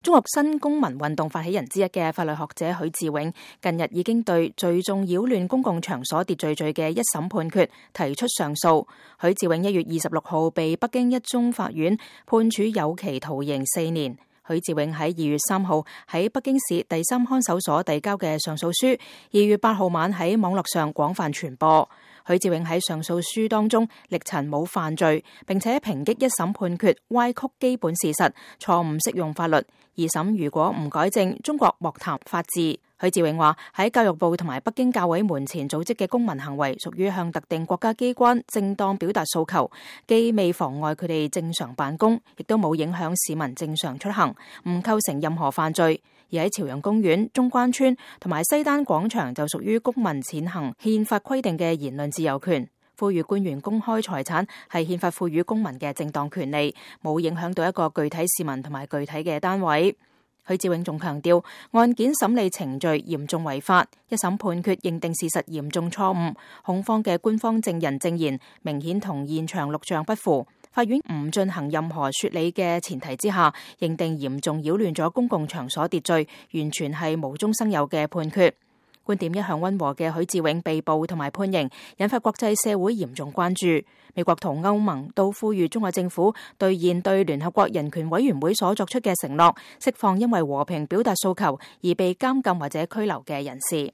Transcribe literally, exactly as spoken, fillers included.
中國新公民運動發起人之一嘅法律學者許志永，近日已經對聚眾擾亂公共場所秩序罪嘅一審判決提出上訴。許志永一月二十六號被北京一中法院判處有期徒刑四年。許志永喺二月三號喺北京市第三看守所遞交嘅上訴書，二月八號晚喺網絡上廣泛傳播。許志永喺上訴書當中力陳冇犯罪，並且抨擊一審判決歪曲基本事實，錯誤適用法律。二審如果唔改正，中國莫談法治。許志永話喺教育部同埋北京教委門前組織嘅公民行為屬於向特定國家機關正當表達訴求，既未妨礙佢哋正常辦公，亦都冇影響市民正常出行，唔構成任何犯罪。而喺朝陽公園、中關村同埋西單廣場就屬於公民踐行憲法規定嘅言論自由權。呼籲官員公開財產係憲法賦予公民嘅正當權利，冇影響到一個具體市民同埋具體嘅單位。許志永仲強調，案件審理程序嚴重違法，一審判決認定事實嚴重錯誤，控方嘅官方證人證言明顯同現場錄像不符，法院唔進行任何說理嘅前提之下，認定嚴重擾亂咗公共場所秩序，完全係無中生有嘅判決。觀點一向溫和嘅許志永被捕同埋判刑，引發國際社會嚴重關注。美國同歐盟都呼籲中國政府兌現對聯合國人權委員會所作出嘅承諾，釋放因為和平表達訴求而被監禁或者拘留嘅人士。